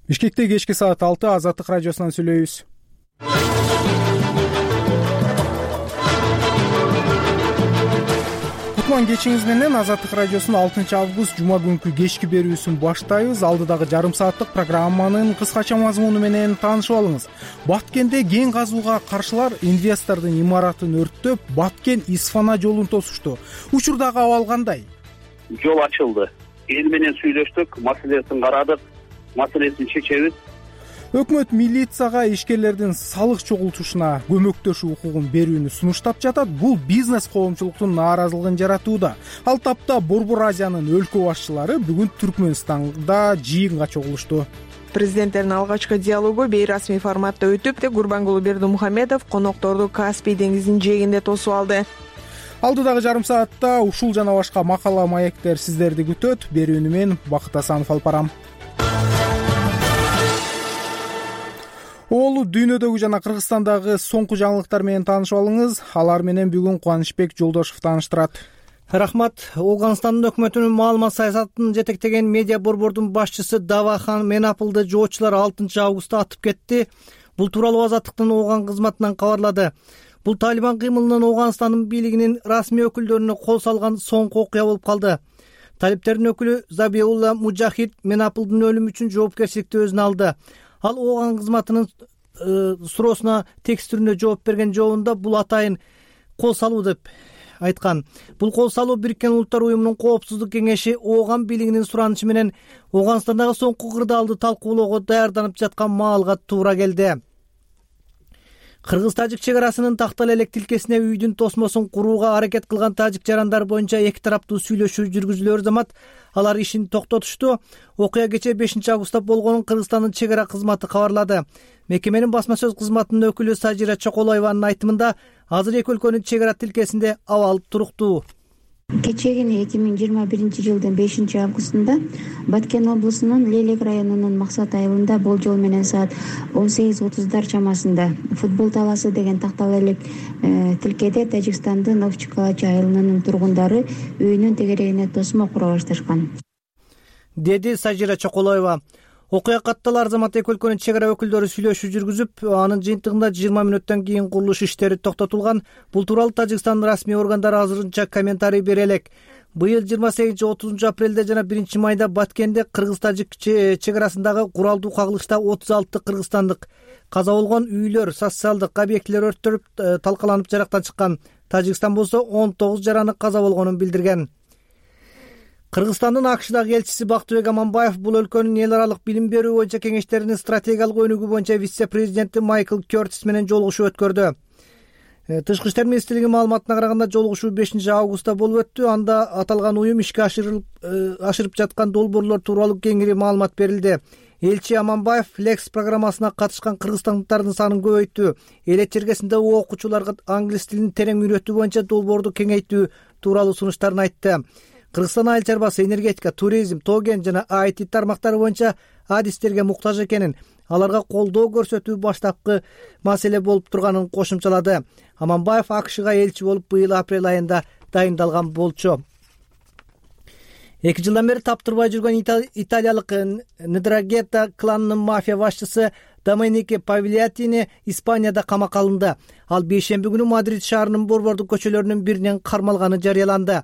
Бишкекте кечки саат 6 Азаттык радиосунан сүйлөйбүз. Кутман кечиңиз менен Азаттык радиосунун 6 август жума күнкү кечки берүүсүн баштайбыз. Алдыдагы жарым сааттык программанын кыскача мазмуну менен таанышып алыңыз. Баткенде кен казууга каршылар инвестордун имаратын өрттөп, Баткен-Исфана жолун тосушту. Учурдагы абал кандай? Жол ачылды. Эл менен сүйлөштүк, маселесин карадык, маселесин чечебиз. Өкмөт милицияга ишкерлердин салык чогултушуна көмөктөшүү укугун берүүнү сунуштап жатат. Бул бизнес коомчулуктун нааразылыгын жаратууда. Ал тапта Борбор Азиянын өлкө башчылары бүгүн Түркмөнстанда жыйынга чогулушту. Президенттердин алгачкы диалогу бейрасмий форматта өтүп, Гурбангулы Бердимухамедов конокторду Каспий деңизинин жээгинде тосуп алды. Алдыдагы жарым саатта ушул жана башка макала маектер сиздерди күтөт. Берүүнү мен Бакыт Асанов алып барам. Оолу дүйнөдөгү жана Кыргызстандагы соңку жаңылыктар менен таанышып алыңыз. Алар менен бүгүн Кубанычбек Жолдошов тааныштырат. Рахмат. Ооганстандын өкмөтүнүн маалымат саясатын жетектеген медиа борбордун башчысы Давахан Менапылды жоочулар 6 августта атып кетти. Бул тууралуу Азаттыктын Ооган кызматынан кабарлады. Бул Талибан кыймылынын Ооганстандын бийлигинин расмий өкүлдөрүнө кол салган соңку окуя болуп калды. Талиптердин өкүлү Забиулла Мужахид Менапылдын өлүмү үчүн жоопкерчиликти өзүнө алды. Ал Ооган кызматынын суроосуна текст түрүндө жооп берген жообунда бул атайын кол салуу деп айткан. Бул кол салуу Бириккен Улуттар уюмунун коопсуздук кеңеши Ооган бийлигинин суранычы менен Ооганстандагы соңку кырдаалды талкуулоого даярданып жаткан маалга туура келди. Кыргыз-тажик чек арасынын Тактал элек тилкесине үйдүн тосмосун курууга аракет кылган тажик жарандар боюнча эки тараптуу сүйлөшүү жүргүзүлөөр замат алар ишин токтотушту. Окуя кечээ 5 августта болгонун Кыргызстандын чек ара кызматы кабарлады. Мекеменин басма сөз кызматынын өкүлү Сажира Чоколоеванын айтымында азыр эки өлкөнүн чек ара тилкесинде абал туруктуу. Кечээгини 2021 жылдын 5 августунда Баткен облусунун Лелек районунун Максат айылында болжол менен саат 18:30 чамасында футбол талаасы деген Тактал элек тилкеде Тажикстандын Овчкалачы айылынын тургундары үйүнүн тегерегине тосмо кура башташкан, деди Сажира Чоколоева. Окуя катталар замат эки өлкөнүн чек ара өкүлдөрү сүйлөшүү жүргүзүп, анын жыйынтыгында 20 мүнөттөн кийин курулуш иштери токтотулган. Бул тууралуу Тажикстандын расмий органдары азырынча комментарий бере элек. Быйыл 28-30 апрелде жана 1 майда Баткенде Кыргыз-Тажик чек арасындагы куралдуу кагылышта 36 кыргызстандык каза болгон, үйлөр, социалдык объектилер өрттөлүп талкаланып жарактан чыккан. Тажикстан болсо 19 жараны каза болгонун билдирген. Кыргызстандын АКШдагы элчиси Бактыбек Аманбаев бул өлкөнүн эл аралык билим берүү боюнча кеңештеринин стратегиялык өнүгүү боюнча вице-президенти Майкл Кёртис менен жолугушуу өткөрдү. Тышкы иштер министрлигинин маалыматына караганда жолугушуу 5 августта болуп өттү. Анда аталган уюм ишке ашырып жаткан долбоорлор тууралуу кеңири маалымат берилди. Элчи Аманбаев Flex программасына катышкан кыргызстандыктардын санын көбөйттү. Элет чергесинде окуучуларга англис тилин терең үйрөтүү боюнча долбоорду кеңейтүү тууралуу сунуштарын айтты. Кыргызстан айыл чарбасы, энергетика, туризм, тоген жана IT тармактары боюнча адистерге муктаж экенин, аларга колдоо көрсөтүү баштапкы маселе болуп турганын кошумчалады. Аманбаев АКШга элчи болуп быйыл апрель айында дайындалган болчу. 2 жылдан бери таптырбай жүргөн италиялык Ndrangheta кланынын мафия башчысы Доменике Павлиатини Испанияда камакка алынды. Ал бейшемби күнү Мадрид шаарынын борбордук көчөлөрүнүн биринен кармалганы жарыяланды.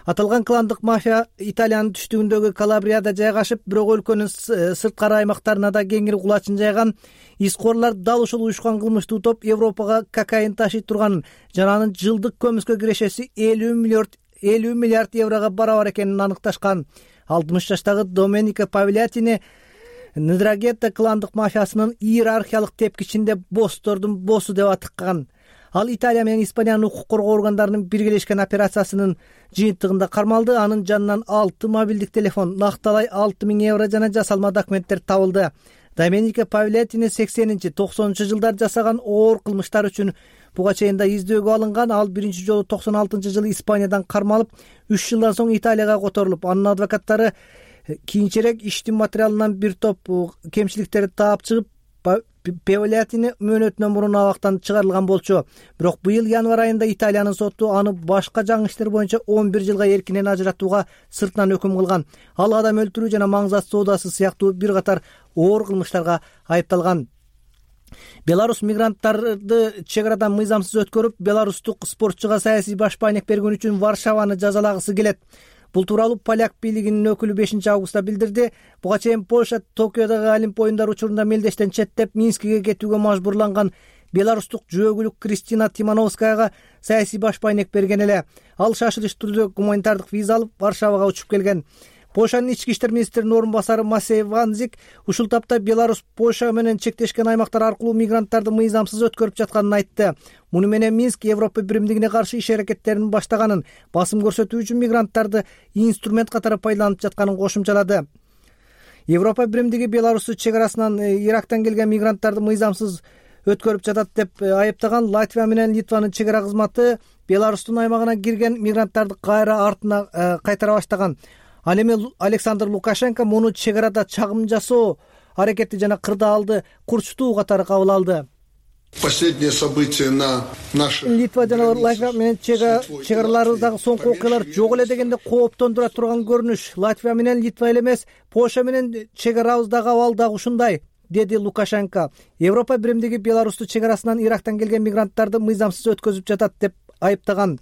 Аталган кландык мафия Италиянын түштүгүндөгү Калабрияда жайгашып, бирок өлкөнүн сырткары аймактарына да кеңири кулачын жайган. Искорлор дал ушул уюшкан кылмыштуу топ Европага кокаин ташый турганын жана анын жылдык көмүскө кирешеси 50 миллиард еврого барабар экенин аныкташкан. 60 жаштагы Доменике Павлиатини Ndrangheta кландык мафиясынын иерархиялык тепкичинде босстордун боссу деп атыккан. Ал Италия менен Испаниянын укук коргоо органдарынын биргелешкен операциясынын жыйынтыгында кармалды. Анын жанынан 6 мобилдик телефон, накталай 6000 евро жана жасалма документтер табылды. Доменике Павлиатини 80-90 жылдар жасаган оор кылмыштар үчүн буга чейин да издөөгө алынган. Ал биринчи жолу 96-жылы Испаниядан кармалып, 3 жылдан соң Италияга которулуп, анын адвокаттары кийинчерээк иштин материалынан бир топ кемчиликтерди таап чыгып, Певлятини мөөнөтүнөн мурун абактан чыгарылган болчу. Бирок быйыл январь айында Италиянын соту аны башка жаңы иштер боюнча 11 жылга эркинен ажыратууга сыртынан өкүм кылган. Ал адам өлтүрүү жана маңзат соодасы сыяктуу бир катар оор кылмыштарга айыпталган. Беларус мигранттарды чек арадан мыйзамсыз өткөрүп, беларустук спортчуга саясий башпаанек бергөн үчүн Варшаваны жазалагысы келет. Бул тууралуу поляк бийлигинин өкүлү 5-августта билдирди. Буга чейин Польша Токиодогу Олимп оюндары учурунда мелдештен четтеп Минскиге кетүүгө мажбурланган беларустук жөөгүлүк Кристина Тимановскаяга саясий башпаанек берген эле. Ал шашылыш түрдө гуманитардык виза алып Варшавага учуп келген. Польшанын ички иштер министринин орун басары Масей Ванзик ушул тапта Беларусь Польша менен чектешкен аймактар аркылуу мигранттарды мыйзамсыз өткөрүп жатканын айтты. Муну менен Минск Европа биримдигине каршы иш аракеттерин баштаганын, басым көрсөтүү үчүн мигранттарды инструмент катары пайдаланып жатканын кошумчалады. Европа биримдиги Беларусту чек арасынан Ирактан келген мигранттарды мыйзамсыз өткөрүп жатат деп айыптаган. Латвия менен Литванын чек ара кызматы Беларустун аймагына кирген мигранттарды кайра артына кайтара баштаган. Ал эми Александр Лукашенко муну чек арада чагым жасоо аракети жана кырдаалды курчтуу катары кабыл алды. Последние события на наших Литва жана Латвия менен чек араларыбыздагы соңку окуялар жок эле дегенде кооптондура турган көрүнүш. Латвия менен Литва эле эмес, Польша менен чек арабыздагы абал дагы ушундай, деди Лукашенко. Европа биримдиги Беларусту чек арасынан Ирактан келген мигранттарды мыйзамсыз өткөзүп жатат деп айыптаган.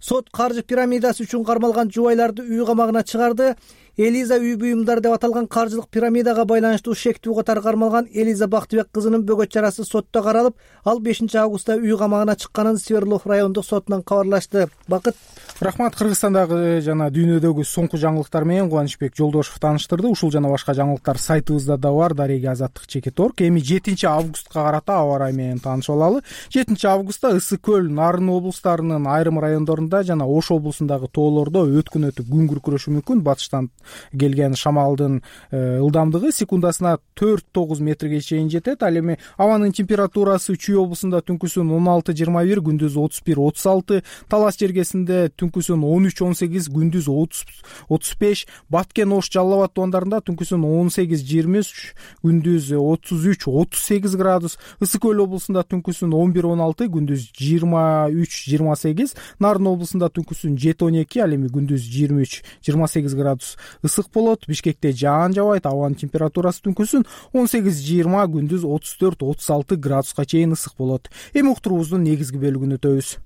Сот каржы пирамидасы үчүн кармалган жубайларды үй камагына чыгарды. Элиза үй буюмдар деп аталган каржылык пирамидага байланыштуу шектүү катары кармалган Элиза Бактыбек кызынын бөгөт чарасы сотто каралып, ал 5-августта үй камагына чыкканын Свердлов райондук сотунан кабарлашты. Бакыт. Рахмат. Кыргызстандагы жана дүйнөдөгү соңку жаңылыктар менен Кубанычбек Жолдошев тааныштырды. Ушул жана башка жаңылыктар сайтыбызда да бар, дареги азаттык.org. Эми 7-августка карата аба ырайы менен таанышып алалы. 7-августта Ысык көл, Нарын облустарынын айрым райондорунда жана Ош облусундагы тоолордо өткүн өтүп күн күркүрөшү мүмкүн. Батыштан келген шамалдын ылдамдыгы секундасына 4-9 метрге чейин жетет. Ал эми абанын температурасы Чүй облусунда түнкүсүн 16-21, күндүз 31-36, Талас жергесинде түнкүсүн 13-18, күндүз 30-35, Баткен, Ош, Жалал Абад тоондарында түнкүсүн 18-23, күндүз 33-38 градус, Ысык көл облусунда түнкүсүн 11-16, күндүз 23-28, Нарын облусунда түнкүсүн 7-12, ал эми күндүз 23-28 градус ысык болот. Бишкекте жаан жабайт, абанын температурасы түнкүсүн 18-20, күндүз 34-36 градуска чейин ысык болот. Эми уктуруубуздун негизги бөлүгүнө өтөбүз.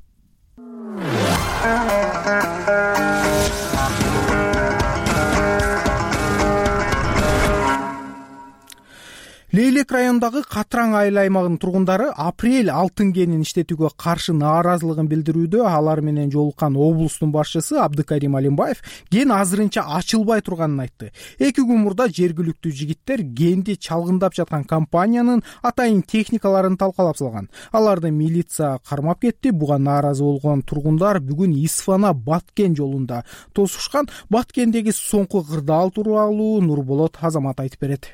Лейлек районундагы Катраң айыл аймагынын тургундары апрель алтын кенин иштетүүгө каршы нааразылыгын билдирүүдө. Алар менен жолуккан облустун башчысы Абдыкарим Алимбаев кен азырынча ачылбай турганын айтты. 2 күн мурда жергиликтүү жигиттер кенди чалгындап жаткан компаниянын атайын техникаларын талкалап салган. Аларды милиция кармап кетти. Буга нааразы болгон тургундар бүгүн Исфана Баткен жолунда тосушкан. Баткендеги соңку кырдаал тууралуу Нурболот Азамат айтып берет.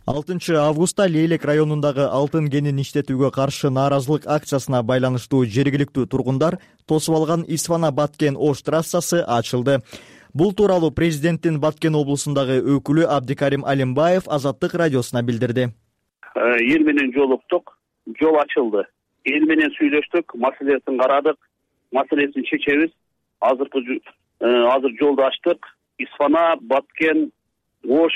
6-августта Лейлек районундагы алтын кенин иштетүүгө каршы нааразылык акциясына байланыштуу жергиликтүү тургундар тосуп алган Исфана Баткен Ош трассасы ачылды. Бул тууралуу президенттин Баткен облусундагы өкүлү Абдыкарим Алимбаев Азаттык радиосуна билдирди. Эл менен жолуктук, жол ачылды. Эл менен сүйлөштүк, маселесин карадык, маселесин чечебиз. Азыр жолду ачтык. Исфана Баткен Ош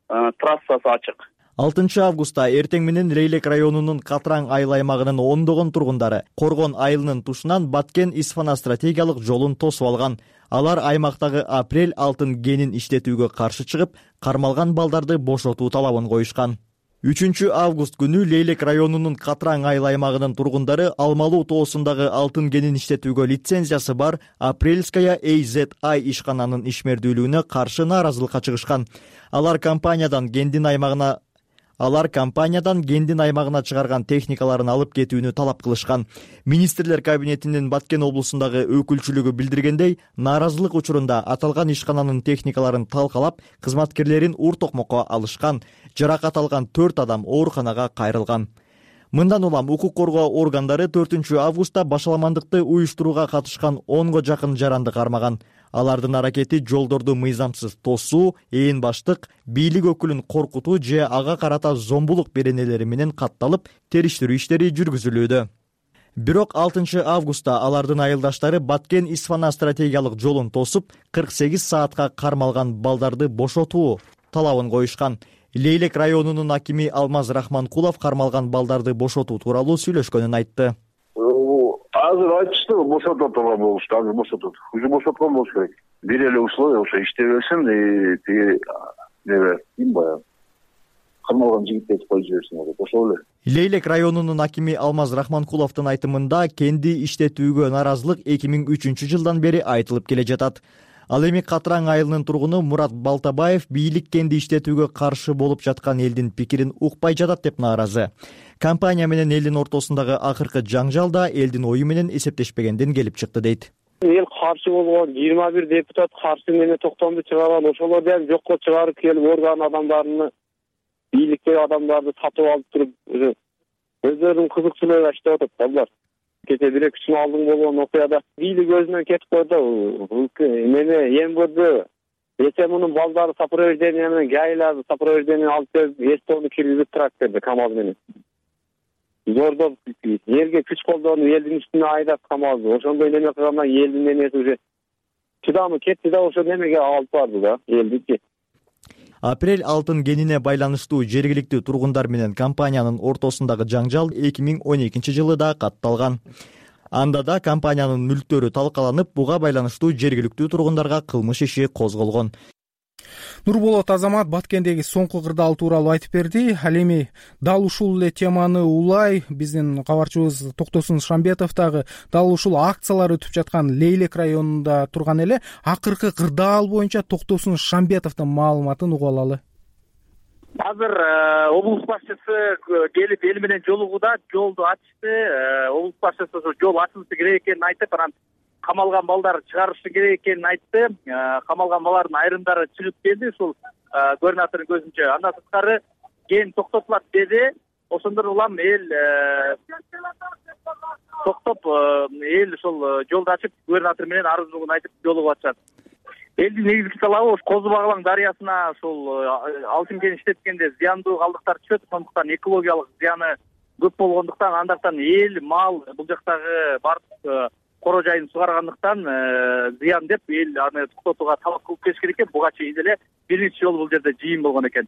трассасы ачык. 6-августта эртең менен Лейлек районунун Катраң айыл аймагынын ондогон тургундары Коргон айылынын тушунан Баткен Исфана стратегиялык жолун тосуп алган. Алар аймактагы апрель алтын кенин иштетүүгө каршы чыгып, кармалган балдарды бошотуу талабын коюшкан. 3-август күнү Лейлек районунун Катраң айыл аймагынын тургундары Алмалуу тоосундагы алтын кенин иштетүүгө лицензиясы бар Апрельская AZI ишкананын ишмердүүлүгүнө каршы нааразылыкка чыгышкан. Алар компаниядан кендин аймагына чыгарган техникаларын алып кетүүнү талап кылышкан. Министрлер кабинетинин Баткен облусундагы өкүлчүлүгү билдиргендей, нааразылык учурунда аталган ишкананын техникаларын талкалап, кызматкерлерин ур токмокко алышкан. Жаракат алган 4 адам ооруканага кайрылган. Мындан улам укук коргоо органдары 4-августта башаламандыкты уюштурууга катышкан 10го жакын жаранды кармаган. Алардын аракети жолдорду мыйзамсыз тосуу, ээн баштык, бийлик өкүлүн коркутуу же ага карата зомбулук беренелери менен катталып, териштирүү иштери жүргүзүлүүдө. Бирок 6 августта алардын айылдаштары Баткен-Исфана стратегиялык жолун тосуп, 48 саатка кармалган балдарды бошотуу талабын коюшкан. Лейлек районунун акими Алмаз Рахманкулов кармалган балдарды бошотуу тууралуу сөйлөшкөнүн айтты. Азыр айтышты, бошотот болушту, азыр бошотот. Уже бошоткон болуш керек. Бир эле условие, ошо иштебесин, тиги ким баягы кармалган жигиттерди коюп жиберсин, ошол эле. Лейлек районунун акими Алмаз Рахманкуловдун айтымында кенди иштетүүгө наразылык 2003 жылдан бери айтылып келе жатат. Ал эми Катраң айылынын тургуну Мурат Балтабаев бийлик кенди иштетүүгө каршы болуп жаткан элдин пикирин укпай жатат деп нааразы. Компания менен элдин ортосундагы акыркы жаңжал да элдин ою менен эсептешпегенден келип чыкты дейт. Эл каршы болгон 21 депутат каршы менен токтомду чыгарган, ошолор дагы жокко чыгарып келип орган адамдарын, бийликтеги адамдарды сатып алып туруп, өздөрүнүн кызыкчылыгы иштеп атат балдар. Кече 1-2 күн алдын болгон окуяда бийлик өзүнөн кетип койду. Мени эмгөрдү мунун балдары сопровождение менен гайларды сопровождение алып келип, эстонду киргизип тракторду КамАЗ менен. Зордоп, элге күч колдонуп, элдин үстүнө айдап КамАЗды. Ошондой неме кылгандан элдин эмеси уже чыдамы кетти да, ошо немеге алып барды да, элдики. Апрель алтын кенине байланыштуу жергиликтүү тургундар менен компаниянын ортосундагы жаңжал 2012 жылы да катталган. Анда да компаниянын мүлктөрү талкаланып, буга байланыштуу жергиликтүү тургундарга кылмыш иши козголгон. Нурболот Азамат Баткендеги соңку кырдаал тууралуу айтып берди. Ал эми дал ушул эле теманы улай биздин кабарчыбыз Токтосун Шамбетов дагы дал ушул акциялар өтүп жаткан Лейлек районунда турган эле. Акыркы кырдаал боюнча Токтосун Шамбетовдун маалыматын угуп алалы. Азыр облус башчысы келип эл менен жолугууда жолду ачты. Облус башчысы жол ачылышы керек экенин айтып, анан камалган балдар чыгарышы керек экенин айтты. Камалган балдардын айрымдары чыгып келди, ушул губернатордун көзүнчө. Андан сырткары кен токтотулат деди. Ошондор улам эл токтоп, эл ушул жолду ачып, губернатор менен арыздуулугун айтып жолугуп атышат. Элдин негизги талабы Козу Баглаң дарыясына ушул алтын кен иштеткенде зыяндуу калдыктар түшөт, ошондуктан экологиялык зыяны көп болгондуктан, андактан эл, мал, бул жактагы бардык коро жайын сугаргандыктан зыян деп эл аны токтотууга талап кылып келиш керек экен. Буга чейин эле бир нече жолу бул жерде жыйын болгон экен.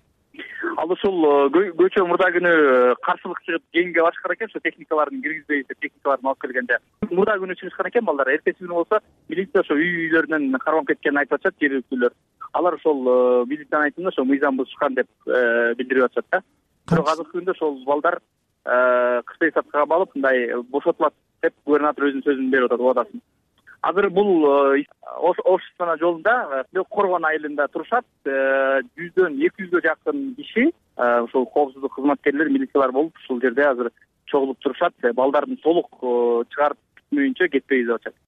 Ал ушул көчө мурда күнү каршылык чыгып кенге башкар экен, ошо техникаларын киргизбей, техникаларын алып келгенде. Мурда күнү чыгышкан экен балдар. Эртеси күнү болсо милиция ошо үйлөрүнөн кармап кеткенин айтып атышат жергиликтүүлөр. Алар ошол милициянын айтымында ошо мыйзам бузушкан деп билдирип атышат да. Бирок азыркы күндө ошол балдар кыштай саткага алып, мындай бошотулат деп губернатор өзүнүн сөзүн берип атат, убадасын. Азыр бул Ош-Исфана жолунда Коргон айылында турушат. 100дөн 200гө жакын киши, ошол коопсуздук кызматкерлери, милициялар болуп, ушул жерде азыр чогулуп турушат. Балдардын толук чыгарып бүтмөйүнчө кетпей деп атышат.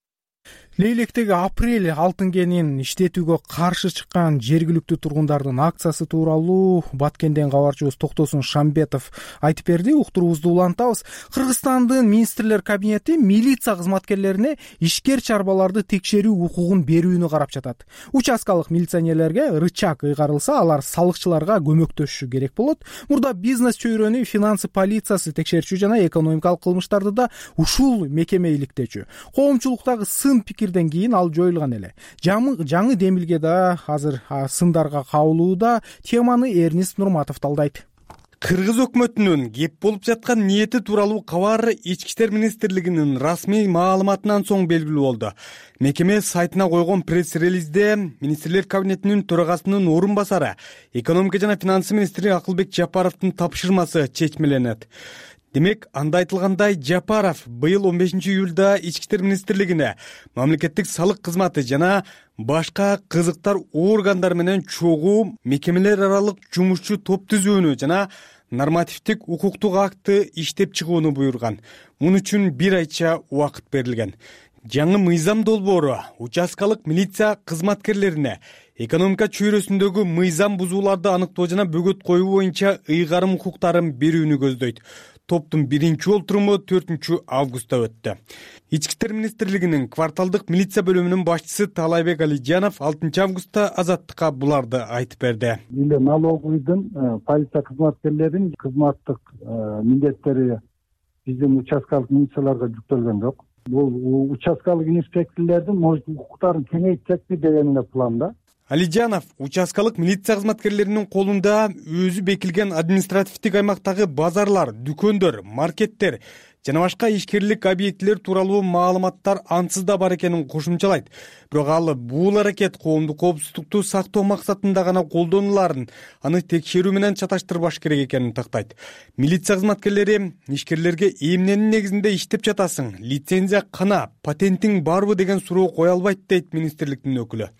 Лейлектеги апрель алтын кенин иштетүүгө каршы чыккан жергиликтүү тургундардын акциясы тууралуу Баткенден кабарчыбыз Токтосун Шамбетов айтып берди. Уктуруубузду улантабыз. Кыргызстандын министрлер кабинети милиция кызматкерлерине ишкер чарбаларды текшерүү укугун берүүнү карап жатат. Участкалык милиционерлерге рычаг ыйгарылса, алар салыкчыларга көмөктөшүшү керек болот. Мурда бизнес чөйрөнү финансы полициясы текшерчү жана экономикалык кылмыштарды да ушул мекеме иликтечү. Коомчулуктагы сын пикирден кийин ал жоюлган эле. Жаңы демилге да азыр сындарга кабылууда. Теманы Эрнист Нурматов талдайт. Кыргыз өкмөтүнүн кеп болуп жаткан ниети тууралуу кабар Ички иштер министрлигинин расмий маалыматынан соң белгилүү болду. Мекеме сайтына койгон пресс-релизде министрлер кабинетинин төрагасынын орун басары, экономика жана финансы министри Акылбек Жапаровдун тапшырмасы чечмеленет. Демек, анда айтылгандай, Жапаров быйыл 15 июлда Ички иштер министрлигине мамлекеттик салык кызматы жана башка кызыктар органдар менен чогуу мекемелер аралык жумушчу топ түзүүнү жана нормативдик укуктук акты иштеп чыгууну буйруган. Муну үчүн 1 айча убакыт берилген. Жаңы мыйзам долбоору участкалык милиция кызматкерлерине экономика чөйрөсүндөгү мыйзам бузууларды аныктоо жана бөгөт коюу боюнча ыйгарым укуктарын берүүнү көздөйт. топтун биринчи олтуруму 4-августта өттү. Ички иштер министрлигинин кварталдык милиция бөлүмүнүн башчысы Таалайбек Алижанов 6-августта Азаттыкка буларды айтып берди. Эле налоговыйдын полиция кызматкерлеринин кызматтык милдеттери биздин участкалык милицияларга жүктөлгөн жок. Бул участкалык инспекторлордун укуктарын кеңейтсекпи деген эле планда. Алижанов участкалык милиция кызматкерлеринин колунда өзү бекилген административдик аймактагы базарлар, дүкөндөр, маркеттер жана башка ишкерлик объектилер тууралуу маалыматтар ансыз да бар экенин кошумчалайт. Бирок ал бул аракет коомдук коопсуздукту сактоо максатында гана колдонуларын, аны текшерүү менен чаташтырбаш керек экенин тактайт. Милиция кызматкерлери ишкерлерге эмненин негизинде иштеп жатасың, лицензия кана, патентиң барбы деген суроо кое албайт дейт министрликтин өкүлү.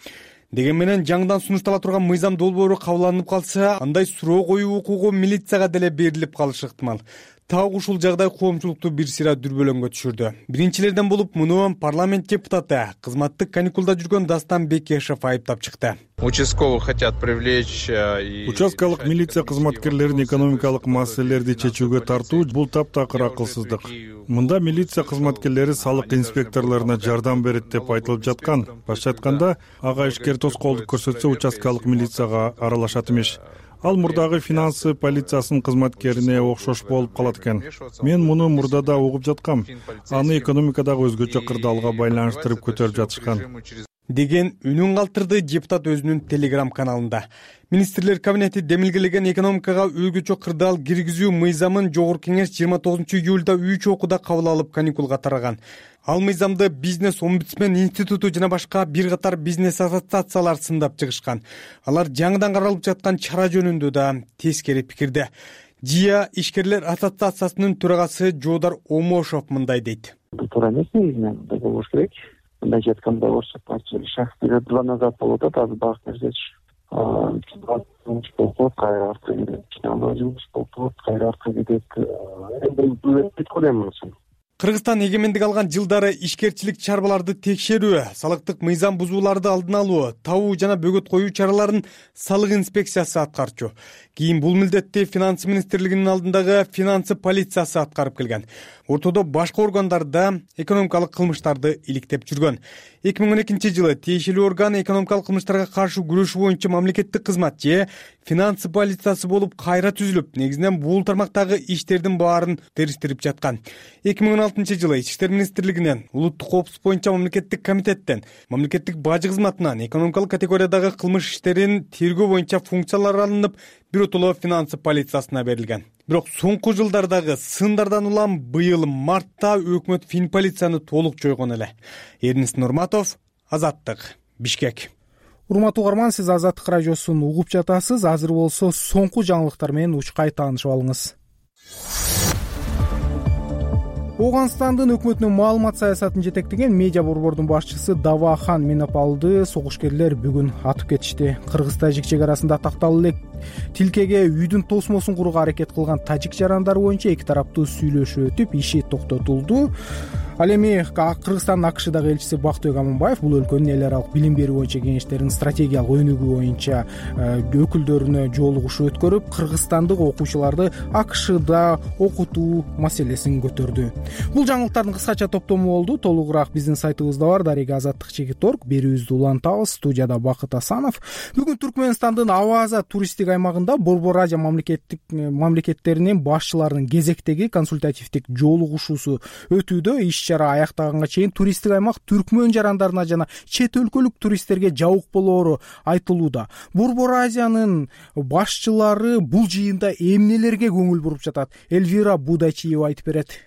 Деген менен жаңыдан сунуштала турган мыйзам долбоору кабыл алынып калса, андай суроо коюу укугу милицияга деле берилип калышы ыктымал. Так ушул жагдай коомчулукту бир сыйра дүрбөлөңгө түшүрдү. Биринчилерден болуп муну парламент депутаты, кызматтык каникулда жүргөн Дастан Бекешев айыптап чыкты. Участковых хотят привлечь. Участкалык милиция кызматкерлерин экономикалык маселелерди чечүүгө тартуу бул таптакыр акылсыздык. Мында милиция кызматкерлери салык инспекторлоруна жардам берет деп айтылып жаткан. Башкача айтканда, ага ишкер тоскоолдук көрсөтсө участкалык милицияга аралашат имиш. Ал мурдагы финансы полициясынын кызматкерине окшош болуп калат экен. Мен муну мурдада угуп жаткам. Аны экономикадагы өзгөчө кырдаалга байланыштырып көтөрүп жатышкан. Деген үнүн калтырды депутат өзүнүн телеграм каналында. Министрлер кабинети демилгелеген экономикага өзгөчө кырдаал киргизүү мыйзамын жогорку кеңеш 29-июлда 3 окууда кабыл алып каникулга тараган. Ал мыйзамды бизнес омбудсмен институту жана башка бир катар бизнес ассоциациялар сындап чыгышкан. Алар жаңыдан каралып жаткан чара жөнүндө да тескери пикирде. ЖИА ишкерлер ассоциациясынын төрагасы Жоодар Омошов мындай дейт. Бул туура эмес негизинен мындай болуш керек. Мындай айтканда орусча шахтер 2 назад болуп атат, азыр багып берсечи. Болуп кайра артка кетет. Болуп кайра артка кетет. Кыргызстан эгемендик алган жылдары ишкерчилик чарбаларды текшерүү, салыктык мыйзам бузууларды алдын алуу, табуу жана бөгөт коюу чараларын салык инспекциясы аткарчу. Кийин бул милдетти финансы министрлигинин алдындагы финансы полициясы аткарып келген. Ортодо башка органдарда экономикалык кылмыштарды иликтеп жүргөн. 2012-жылы тиешелүү орган экономикалык кылмыштарга каршы күрөшүү боюнча мамлекеттик кызмат же финансы полициясы болуп кайра түзүлүп, негизинен бул тармактагы иштердин баарын териштирип жаткан. 2016-жылы Ички иштер министрлигинен, улуттук коопсуздук боюнча мамлекеттик комитеттен, мамлекеттик бажы кызматынан экономикалык категориядагы кылмыш иштерин тергөө боюнча функциялар алынып, биротоло финансы полициясына берилген. Бирок соңку жылдардагы сындардан улам быйыл мартта өкмөт финполицияны толук жойгон эле. Эрнис Нурматов, Азаттык, Бишкек. Урматтуу угарман, сиз Азаттык радиосун угуп жатасыз. Азыр болсо соңку жаңылыктар менен учкай таанышып алыңыз. Ооганстандын өкмөтүнүн маалымат саясатын жетектеген медиа борбордун башчысы Давахан Минапалды согушкерлер бүгүн атып кетишти. Кыргыз-тажик чек арасында такталып элек тилкеге үйдүн тосмосун курууга аракет кылган тажик жарандары боюнча эки тараптуу сүйлөшүү өтүп, иши токтотулду. Ал эми Кыргызстандын АКШдагы элчиси Бактыбек Аманбаев бул өлкөнүн эл аралык билим берүү боюнча кеңештеринин стратегиялык өнүгүү боюнча өкүлдөрүнө жолугушуу өткөрүп, кыргызстандык окуучуларды АКШда окутуу маселесин көтөрдү. Бул жаңылыктардын кыскача топтому болду. Толугураак биздин сайтыбызда бар. Дарега Азаттык.org. Берүүбүздү улантабыз. Студияда Бакыт Асанов. Бүгүн Түркмөнстандын Аваза туристтик аймагында Борбор Азия мамлекеттеринин башчыларынын кезектеги консультативдик жолугушуусу өтүүдө. Иш-чара аяктаганга чейин туристтик аймак түркмөн жарандарына жана чет өлкөлүк туристтерге жабык болоору айтылууда. Борбор Азиянын башчылары бул жыйында эмнелерге көңүл буруп жатат? Эльвира Будачиева айтып берет.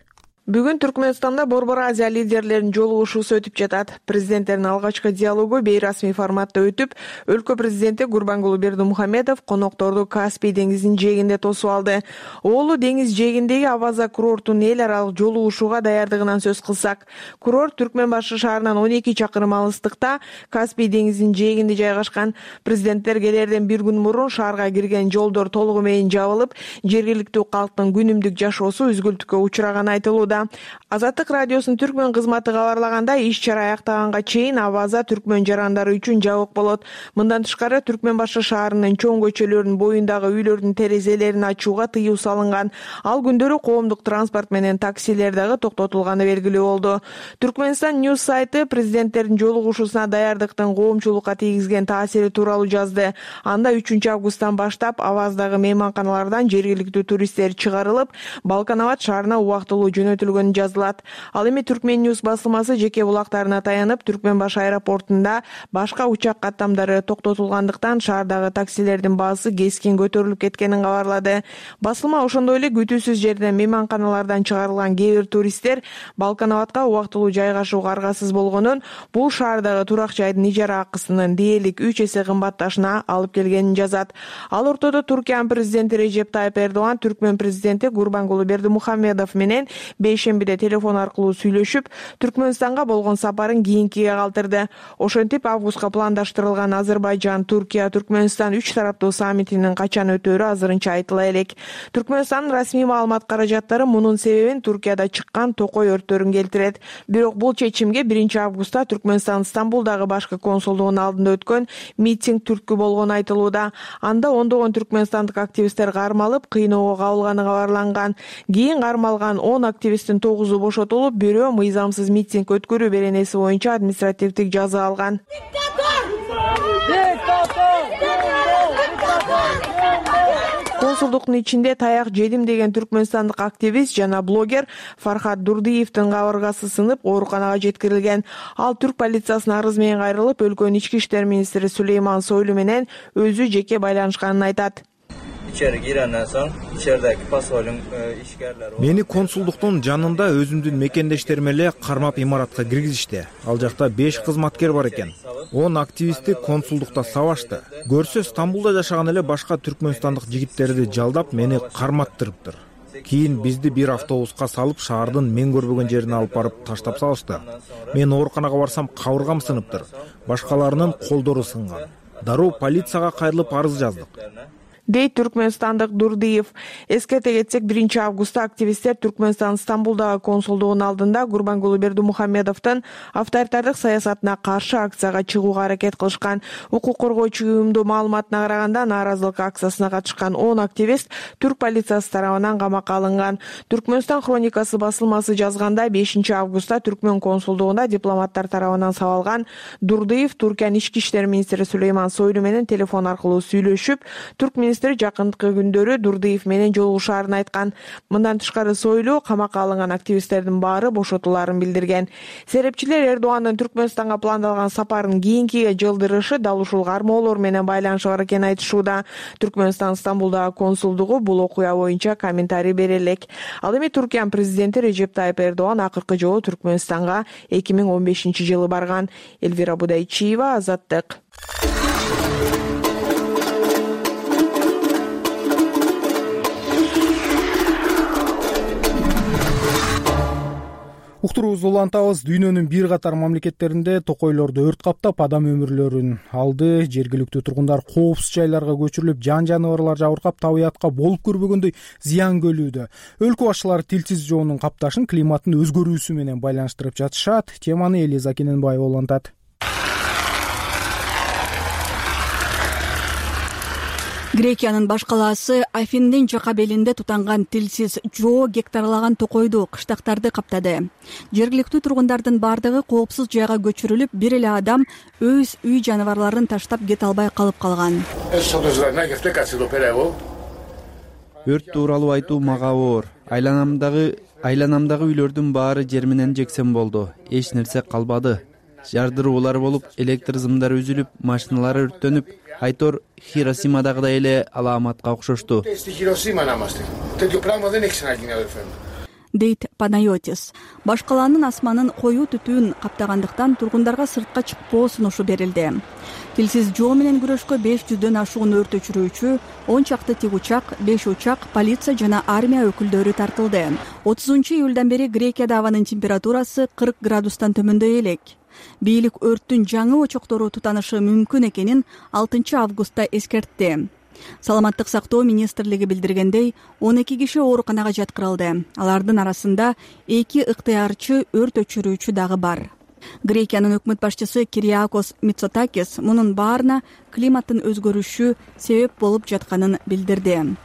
Бүгүн Түркмөнстанда Борбор Азия лидерлеринин жолугушуусу өтүп жатат. Президенттердин алгачкы диалогу бейрасмий форматта өтүп, өлкө президенти Гурбангулы Бердимухамедов конокторду Каспий деңизинин жээгинде тосуп алды. Оолу деңиз жээгиндеги Аваза курортунун эл аралык жолугушууга даярдыгынан сөз кылсак, курорт Түркмөнбашы шаарынан 12 чакырым алыстыкта Каспий деңизинин жээгинде жайгашкан. Президенттер келерден бир күн мурун шаарга кирген жолдор толугу менен жабылып, жергиликтүү калктын күнүмдүк жашоосу үзгүлтүккө учураганы айтылууда. айтылууда. Азаттык радиосунун түркмөн кызматы кабарлагандай, иш чара аяктаганга чейин Аваза түркмөн жарандары үчүн жабык болот. Мындан тышкары Түркмөн башы шаарынын чоң көчөлөрүнүн боюндагы үйлөрдүн терезелерин ачууга тыюу салынган. Ал күндөрү коомдук транспорт менен таксилер дагы токтотулганы белгилүү болду. Түркмөнстан News сайты президенттердин жолугушуусуна даярдыктын коомчулукка тийгизген таасири тууралуу жазды. Анда 3 августтан баштап Аваздагы мейманканалардан жергиликтүү туристтер чыгарылып, Балканабад шаарына убактылуу жөнөтүлгөнү жазылат. Ал эми Түркмөн News басылмасы жеке булактарына таянып, Түркмөн баш аэропортунда башка учак каттамдары токтотулгандыктан шаардагы таксилердин баасы кескин көтөрүлүп кеткенин кабарлады. Басылма ошондой эле күтүүсүз жерден мейманканалардан чыгарылган кээ бир туристтер Балканабадка убактылуу жайгашууга аргасыз болгонун, бул шаардагы турак жайдын ижара акысынын дээрлик 3 эсе кымбатташына алып келгенин жазат. Ал ортодо Туркиянын президенти Режеп Тайып Эрдоган Түркмөн президенти Гурбангулу Бердимухамедов менен бейшембиде телефон аркылуу сүйлөшүп, Түркмөнстанга болгон сапарын кийинкиге калтырды. Ошентип, августка пландаштырылган Азербайжан-Туркия Түркмөнстан 3 тараптуу саммитинин качан өтөөрү азырынча айтыла элек. Түркмөнстандын расмий маалымат каражаттары мунун себебин Туркияда чыккан токой өрттөрүн келтирет. Бирок бул чечимге 1 августта Түркмөнстан Стамбулдагы башкы консулдугунун алдында өткөн митинг түрткү болгону айтылууда. Анда ондогон түркмөнстандык активисттер кармалып, кыйноого кабылганы кабарланган. Кийин кармалган 10 активисттин 9-у бошотулуп, бирөө мыйзамсыз митинг өткөрүү беренеси боюнча административдик жаза алган. Консулдуктун ичинде таяк жедим деген түркмөнстандык активист жана блогер Фархат Дурдиевдин кабыргасы сынып, ооруканага жеткирилген. Ал түрк полициясына арыз менен кайрылып, өлкөнүн ички иштер министри Сулейман Сойлу менен өзү жеке байланышканын айтат. Мени консулдуктун жанында өзүмдүн мекендештерим эле кармап имаратка киргизишти. Ал жакта 5 кызматкер бар экен. 10 активистти консулдукта сабашты. Көрсө Стамбулда жашаган эле башка түркмөнстандык жигиттерди жалдап мени карматтырыптыр. Кийин бизди бир автобуска салып, шаардын мен көрбөгөн жерине алып барып таштап салышты. Мен ооруканага барсам, кабыргам сыныптыр. Башкаларынын колдору сынган. Дароо полицияга кайрылып арыз жаздык, дейт түркмөнстандык Дурдиев. Эскерте кетсек, 1 августта активисттер Түркмөнстан Стамбулдагы консулдугунун алдында Гурбангулу Бердимухамедовдун авторитардык саясатына каршы акцияга чыгууга аракет кылышкан. Укук коргоочу уюмдун маалыматына караганда, нааразылык акциясына катышкан 10 активист түрк полициясы тарабынан камакка алынган. Түркмөнстан хроникасы басылмасы жазганда, 5 августта Түркмөн консулдугунда дипломаттар тарабынан сабалган Дурдиев Туркиянын ички иштер министри Сулейман Сойлу менен телефон аркылуу сүйлөшүп, түрк министри жакынкы күндөрү Дурдиев менен жолугушаарын айткан. Мындан тышкары Сойлу камакка алынган активисттердин баары бошотуларын билдирген. Серепчилер Эрдогандын Түркмөнстанга пландалган сапарын кийинкиге жылдырышы дал ушул кармоолор менен байланышы бар экенин айтышууда. Түркмөнстан Стамбулдагы консулдугу бул окуя боюнча комментарий бере элек. Ал эми Туркиянын президенти Режеп Тайып Эрдоган акыркы жолу Түркмөнстанга 2015-жылы барган. Элвира Будайчиева, Азаттык. Уктуруубузду улантабыз. Дүйнөнүн бир катар мамлекеттеринде токойлорду өрт каптап, адам өмүрлөрүн алды. Жергиликтүү тургундар коопсуз жайларга көчүрүлүп, жан-жаныбарлар жабыркап, табиятка болуп көрбөгөндөй зыян көрүүдө. Өлкө башчылары тилсиз жоонун капташын климаттын өзгөрүүсү менен байланыштырып жатышат. Теманы Элиза Кененбаева улантат. Грекиянын баш калаасы Афиндин жака белинде тутанган тилсиз жоо гектарлаган токойду, кыштактарды каптады. Жергиликтүү тургундардын бардыгы коопсуз жайга көчүрүлүп, бир эле адам өз үй жаныбарларын таштап кете албай калып калган. Өрт тууралуу айтуу мага оор. Айланамдагы үйлөрдүн баары жер менен жексен болду. Эч нерсе калбады. Жардыруулар болуп, электр зымдары үзүлүп, машиналар өрттөнүп, Айтор Хиросимадагыдай эле алааматка окшошту, дейт Панайотис. Баш калаанын асманын коюу түтүүн каптагандыктан тургундарга сыртка чыкпоо сунушу берилди. Тилсиз жоо менен күрөшкө 500дөн ашуун өрт өчүрүүчү, 10 чакты тик учак, 5 учак, полиция жана армия өкүлдөрү тартылды. 30-июлдан бери Грекияда абанын температурасы 40 градустан төмөндөй элек. Бийлик өрттүн жаңы очоктору тутанышы мүмкүн экенин 6 августта эскертти. Саламаттык сактоо министрлиги билдиргендей, 12 киши ооруканага жаткырылды. Алардын арасында 2 ыктыярчы, өрт өчүрүүчү дагы бар. Грекиянын өкмөт башчысы Кириакос Мицотакис мунун баарына климаттын өзгөрүшү себеп болуп жатканын билдирди.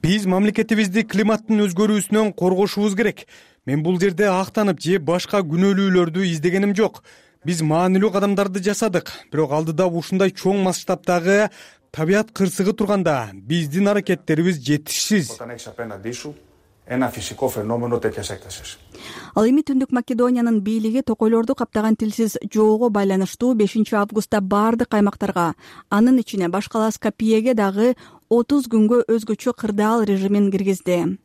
Биз мамлекетибизди климаттын өзгөрүүсүнөн коргошубуз керек. Мен бул жерде актанып же башка күнөөлүүлөрдү издегеним жок. Биз маанилүү кадамдарды жасадык, бирок алдыда ушундай чоң масштабтагы табият кырсыгы турганда биздин аракеттерибиз жетишсиз. Ал эми Түндүк Македониянын бийлиги токойлорду каптаган тилсиз жоого байланыштуу 5 августта баардык аймактарга, анын ичине баш кала Скопьеге дагы 30 күнгө өзгөчө кырдаал режимин киргизди.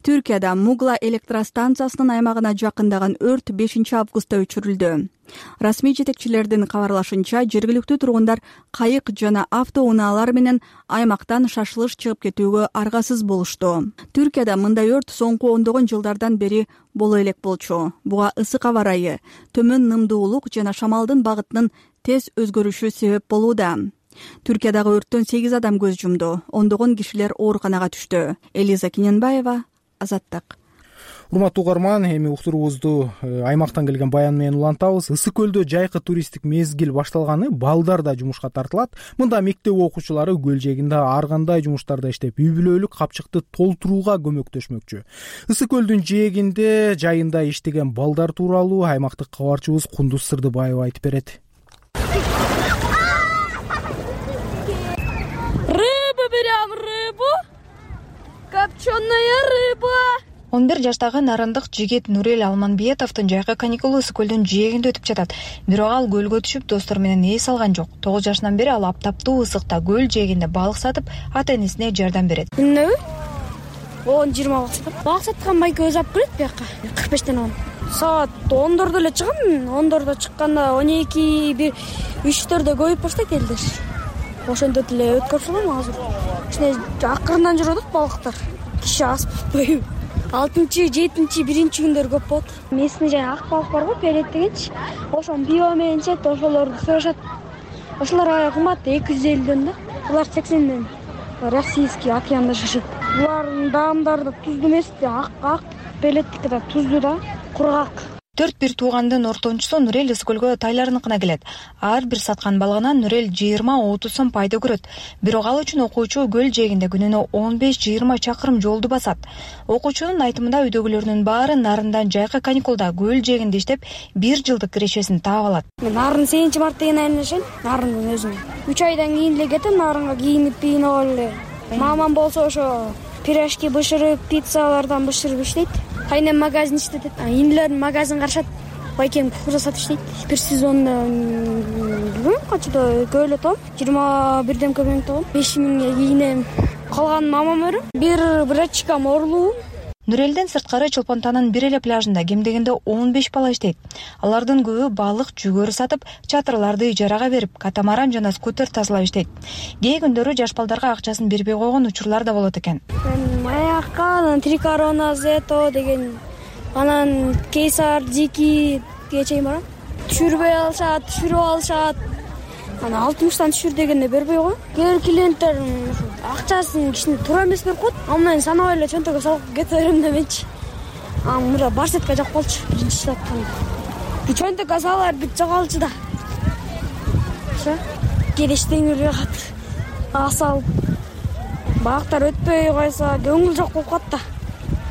Түркияда Мугла электростанциясынын аймагына жакындаган өрт 5 августта өчүрүлдү. Расмий жетекчилердин кабарлашынча, жергиликтүү тургундар кайык жана автоунаалар менен аймактан шашылыш чыгып кетүүгө аргасыз болушту. Түркияда мындай өрт соңку ондогон жылдардан бери боло элек болчу. Буга ысык аба ырайы, төмөн нымдуулук жана шамалдын багытынын тез өзгөрүшү себеп болууда. Түркиядагы өрттөн 8 адам көз жумду. Ондогон кишилер ооруканага түштү. Элиза Киненбаева, Азаттык. Урматтуу угарман, эми уктуруубузду аймактан келген баян менен улантабыз. Ысык көлдө жайкы туристтик мезгил башталганы, балдар да жумушка тартылат. Мында мектеп окуучулары көл жээгинде ар кандай жумуштарда иштеп, үй-бүлөлүк капчыкты толтурууга көмөктөшмөкчү. Ысык көлдүн жээгинде жайында иштеген балдар тууралуу аймактык кабарчыбыз Кундуз Сырдыбаева айтып берет. Копченая рыба. 11 жаштагы нарындык жигит Нурел Алманбетовдун жайкы каникулу ысык көлдүн жээгинде өтүп жатат. Бирок ал көлгө түшүп, достору менен эс алган жок. 9 жашынан бери ал аптаптуу ысыкта көл жээгинде балык сатып, ата-энесине жардам берет. Күнүнө 10-20 балык сатып, балык саткан байке өзү алып келет бияка. 45тен он. Саат 10дордо эле чыгам. 10дордо чыкканда 12, 3-4дө көбөйүп баштайт элдер. Ошондо деле өткөрүп азыр. Ичине акырындан жүрөт балыктар. Киши аз болбойбу. 6-7 1-чи күндөр көп болот. Местный жай ак балык бар го, перет дегенчи. Ошон био менен чет, ошолорду сурашат. Ошолор аябай кымбат, 250дөн да. Булар 80ден. Российский океанда жашайт. Булардын даамдары да туздуу эмес, ак белеттики да туздуу да, кургак. 4 туугандын ортончусу Нурел ысык көлгө тайларыныкына келет. Ар бир саткан балыгынан Нурел 20-30 сом пайда көрөт. Бирок ал үчүн окуучу көл жээгинде күнүнө 15-20 чакырым жолду басат. Окуучунун айтымында үйдөгүлөрүнүн баары нарындан жайкы каникулда көл жээгинде иштеп 1 жылдык кирешесин таап алат. Мен нарын 7-март деген айында жашайм, нарындын өзүнө. 3 айдан кийин эле кетем нарынга, кийинип бийинип эле. Мамам болсо ошо пирожки бышырып, пиццалардан бышырып иштейт. Кайнем магазин иштетет. Инилердин магазин карашат. Байкем кукуруза сатып иштейт. Бир сезонда качада көйлө топ 21 көмөң топ 5000 кийинем. Калган мамам өрөм. Бир брачкам орлуу. Нурелден сырткары Чолпонтанын бир эле пляжында кем дегенде 15 бала иштейт. Алардын көбү балык, жүгөрү сатып, чатырларды ижарага берип, катамаран жана скутер тазалап иштейт. Кээ күндөрү жаш балдарга акчасын бербей койгон учурлар да болот экен. Маякка, Трикорона, Зето деген, анан Кейсар, Дики чейин барам. Түшүрбөй алышат, түшүрүп алышат. Ана 60тан түшүр дегенде бербей койгон. Кээ бир клиенттер акчасын кичине туура эмес берип коет. Андан санабай эле чөнтөгө салып кете берем деменчи. Мында барсетка жок болчу биринчи саткан. Чөнтөгкө салар бүт жоголчу да. Ошо келеш теңирге кат. Асал бактар өтпөй койсо көңүл жок болуп калат да.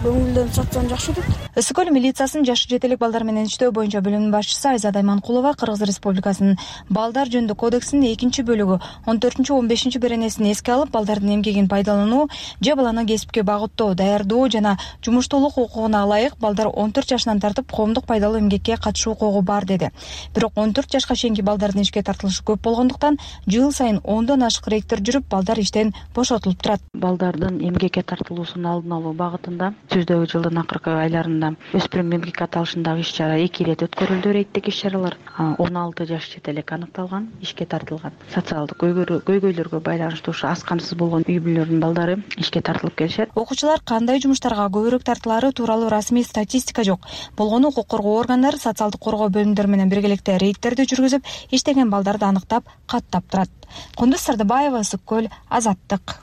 Көңүлдөн сатсаң жакшы өтөт. Ысык көл милициясынын жашы жетелик балдар менен иштөө боюнча бөлүмүнүн башчысы Айзада Айманкулова Кыргыз Республикасынын балдар жөнүндө кодексинин 2-бөлүгү 14-15 беренесин эске алып, балдардын эмгегин пайдалануу же баланы кесипке багыттоо, даярдоо жана жумуштуулук укугуна ылайык балдар 14 жашынан тартып коомдук пайдалуу эмгекке катышуу укугу бар деди. Бирок 14 жашка чейинки балдардын ишке тартылышы көп болгондуктан жыл сайын 10дон ашык рейдтер жүрүп, балдар иштен бошотулуп турат. Балдардын эмгекке тартылуусунун алдын алуу багытында түздөгү жылдын акыркы айларында учурунда өспүрүм эмгек аталышындагы иш чара 2 ирет өткөрүлдү, рейдтик иш чаралар. 16 жаш чет элек аныкталган, ишке тартылган. Социалдык көйгөйлөргө байланыштуу ушу аз камсыз болгон үй бүлөлөрдүн балдары ишке тартылып келишет. Окуучулар кандай жумуштарга көбүрөөк тартылары тууралуу расмий статистика жок. Болгону укук коргоо органдары социалдык коргоо бөлүмдөрү менен биргеликте рейдтерди жүргүзүп, иштеген балдарды аныктап, каттап турат. Кундуз Сардыбаева, Ысык көл, Азаттык.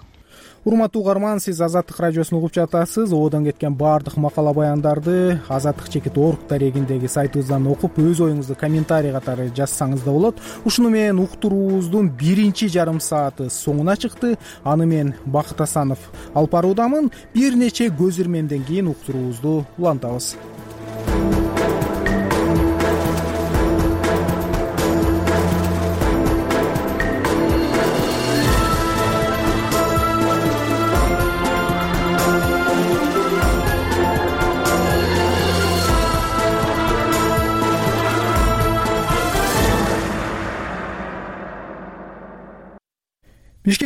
Урматтуу угарман, сиз Азаттык радиосун угуп жатасыз. Ободон кеткен баардык макала баяндарды azattik.org дарегиндеги сайтыбыздан окуп, өз оюңузду комментарий катары жазсаңыз да болот. Ушуну менен уктуруубуздун биринчи жарым сааты соңуна чыкты. Аны мен Бакыт Асанов алып баруудамын. Бир нече көз ирмемден кийин уктуруубузду улантабыз.